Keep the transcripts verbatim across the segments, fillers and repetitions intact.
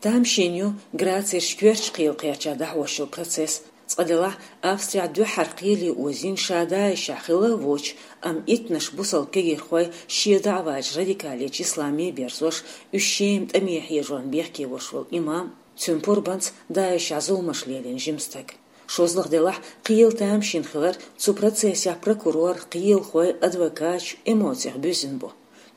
Тамашийна ю Грацерчу коьртачу кхелан кхерчахь дӀахьош йолу процесс. Цкъа делахь, Австрехь дуьххьара кхеле озийна ша ДАИШехь хилла а воцуш, амма иттаннаш бусалба кегийрхой шен даӀвачу радикалечу исламехь берзош, уьш Шема тӀаме хьежорна бехке волуш волу имам, цуьнан пурбанца ДАИШехь зуламаш лелийна жима стаг. ШозлагӀа делахь, кхелан тамашийна хилар цу процессехь прокурор, кхелахой, адвокаташ эмоцех буьззина бу.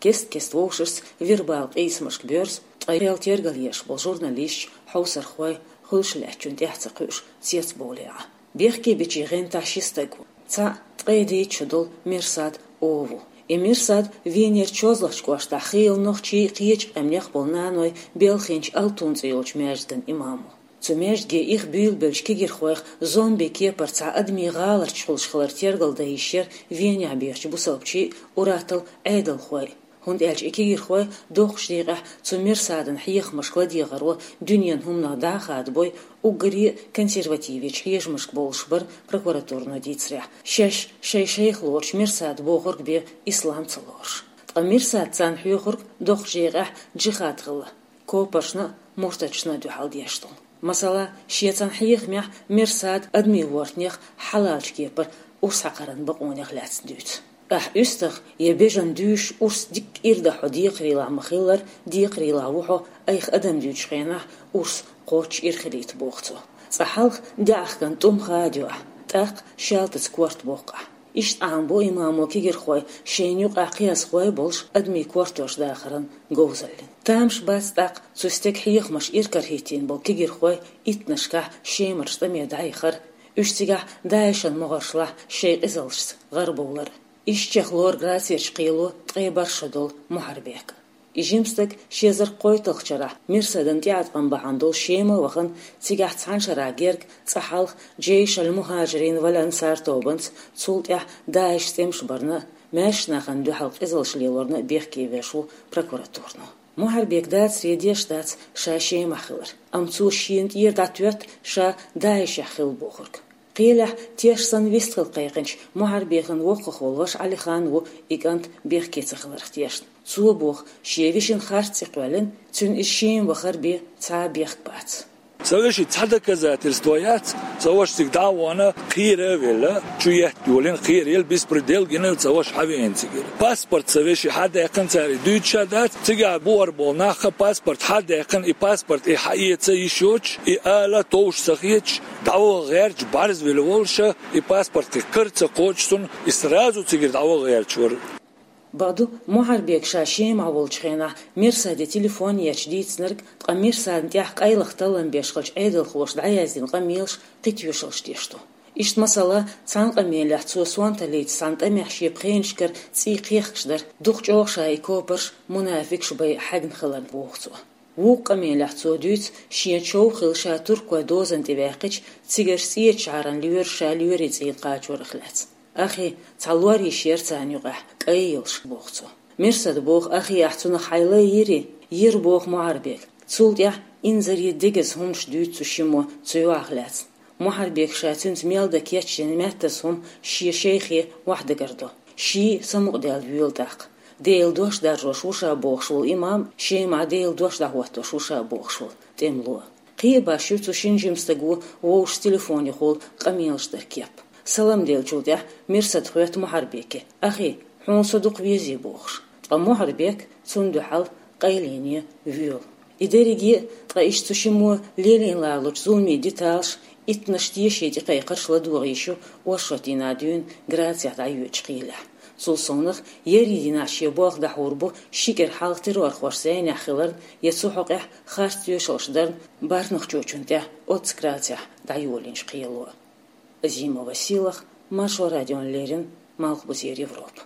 Кест-кеста вовшашца вербалан къийсамашка боьрзу, ткъа кхел тергалъеш болу журналисташ, хьовсархой, хуьлуш лаьттачунна тӀаьхьа ца кхуьуш, цецбовлий Ӏа. Бехке бичийн гӀантехь ши стаг ву. Цхьаъ ткъе дейтта шо долу Мерсад О ву. И Мерсад Венера ЧозлагӀчу кӀоштахь хийла нохчий, кхечу къаьмнех болу наной белхийначу Алтун цӀе йолчу маьждиган имам ву. Цу маьждиге их буьйлабеллачу кегийрхойх зомби кепара цхьа адамийн гӀаларчо хуьлуш хилар тергалдан йиш яра Венехь бехачу бусалбачийн, уьраттал Ӏедалхойн. ХӀунда аьлча и кегийрхой доккхачу декъехь цу Мерсадан хьехамашка ладегӀаро дуьненан хӀуманах дӀа а хадабой, уггаре а консервативечу хьежамашка бовлуш бара прокуратуро дийцарехь, шаьш шайн шайх лоручу Мерсада бохург бен ислам ца лоруш. Ткъа Мерсада царна хьоьхург доккхачу декъехь джихад хилла, копаршна а, муртаташна а дуьхьал деш долу. Масала, шен цхьана хьехамехь Мерсада адамийн вортанех хьалалчу кепара урс хьакхаран бакъонех лаьцна дуьйцу. Ахь уьстагӀ я бежана дуьйш урс дикка ирдахь хьо декхарийлахь ма-хиллара, декхарийлахь ву хьо айхьа адам дуьйцучу хенахь урс кхоччуш ира хилийта, боху цо. Цкъа хьалха даьӀахкан тӀум хадайо ахь, тӀаккха шаьлтаца корта боккху ахь. Иштта Ӏамабо имамо кегийрхой шайна юкъахь кхиазхой болуш адамийн кортош дахаран говзаллин. Тамаш бац тӀаккха цу стеган хьехамаш ира карахӀиттийна болу кегийрхой иттаннашкахь Шемарчу тӀаме дӀаяхар, уьш цигахь ДАИШан могӀаршлахь шайн къизаллашца гӀарабовлар. Ишттачех лору Грацерчу кхело ткъе бархӀ шо долу Мухьарбек. И жима стаг ши эзар кхойтталгӀачу шарахь Мерсадан тӀеӀаткъам бахьана долуш Шема а вахана, цигахь цхьана шарахь герга, цкъа хьалха Джейш аль-Мухаджирин валь-Ансар тобанца, цул тӀаьхьа ДАИШ цӀе барна а, маьршачу нахана дуьхьал къизаллаш лелорна а бехке веш ву прокуратуро. Мухьарбека дацаре деш дац ша Шемахь хилар, амма цо шена тӀера дӀатоьтту ша ДАИШехь хилла бохург. Кхелехь теш санна вистхила кхайкхинчу Мухьарбекан воккхах волу ваша Ӏалихан ву и кӀант бехке ца хиларх тешна. Цо боху, шен вешин харц цӀе кхоьллина, цуьнан иза Шема вахар бен цхьа а бехк бац. Сан вешин цхьа доказательство яц, сан ваша цига дӀа а вахана, кхера а велла, чу етта йолийна, кхера елла, беспредел гина, сан ваша хьавеана цигара. Паспорт сан вешин хьадаьккхина, цара и дуьйцуш а дац, цигахь бухара болу нах а паспорт хьадаьккхина, и паспорт и хьаэца йиш йоцуш, и ала товш ца хеташ, дӀаваха гӀерташ, бӀарзвелла волуша, и паспорт кхин кара ца кхочуш, цунна и сразу цигара дӀаваха гӀерташ вара. Бакъду, Мухьарбека ша Шемахь волчу хенахь Мерсаде телефон етташ дийцинарг, ткъа Мерсадна тӀехь къайлаха таллам беш хиллачу Ӏедалхоша дӀаяздина къамелаш кхин тоьшаллаш деш ду. Иштта, масала, цхьана къамелехь цо сонталлица цхьана тӀамехь шен пхенашкара цӀий кхехкаш дара, дукха чӀогӀа ша и копарш мунафикаш бен хьегна хиларна, боху цо. Вукху къамелехь цо дуьйцу, шен чов хилла ша туркойн дозанна тӀе ваьккхича, цигарчу цӀечу шахьаран лоьраша лоьрийн цӀийнан кхачорах лаьцна. Ахи, цхьа лор йиш яра царна юкъахь, кӀай йолуш, боху цо. Мерсада боху, ахи, ахь цунах хьайн лай йирий? Йира, боху Мухьарбека. Цул тӀаьхьа инзаре дегаза хӀуманаш дуьйцу цу шиммо цу йоӀах лаьцна. Мухьарбека ша цуьнца мел дан кечдина меттаза хӀума шен шайхе охьадагардо. Ший самукъадаьлла воьлу тӀаккха. Делан дош даржош ву ша бохуш волу имам, Шемахь Делан дош дӀахӀоттош ву ша бохуш волу тӀемало. Кхин а баш ю цу шина жима стаго вовшашца телефон юхула къамелаш дар кеп. Салам деллачул тӀаьхьа Мерсада хоьтту Мухьарбеке: «Ахи, хьуна со дукха везий?» — бохуш. Ткъа Мухьарбек цунна дуьхьал къайлене воьлу. И дерриге а, ткъа иштта цу шиммо лелийна ларалучу зуламийн деталаш, иттаннаш теший тӀекхайкхарш ладогӀа йиш ю оршот дийнахь дуьйна Грацехь дӀайоьдучу кхелехь. Цул совнаха, ерриг дийнахь шен болх дӀахьур бу ши кӀира хьалха террорхоша зӀенехь хиларна я цу хьокъехь харц тоьшаллаш дарна Барнахчочунна тӀехь оццу Грацехь дӀайолийначу кхело. Азимова Сийлаха, Маршо радиона леррина, Малхбузера Европа.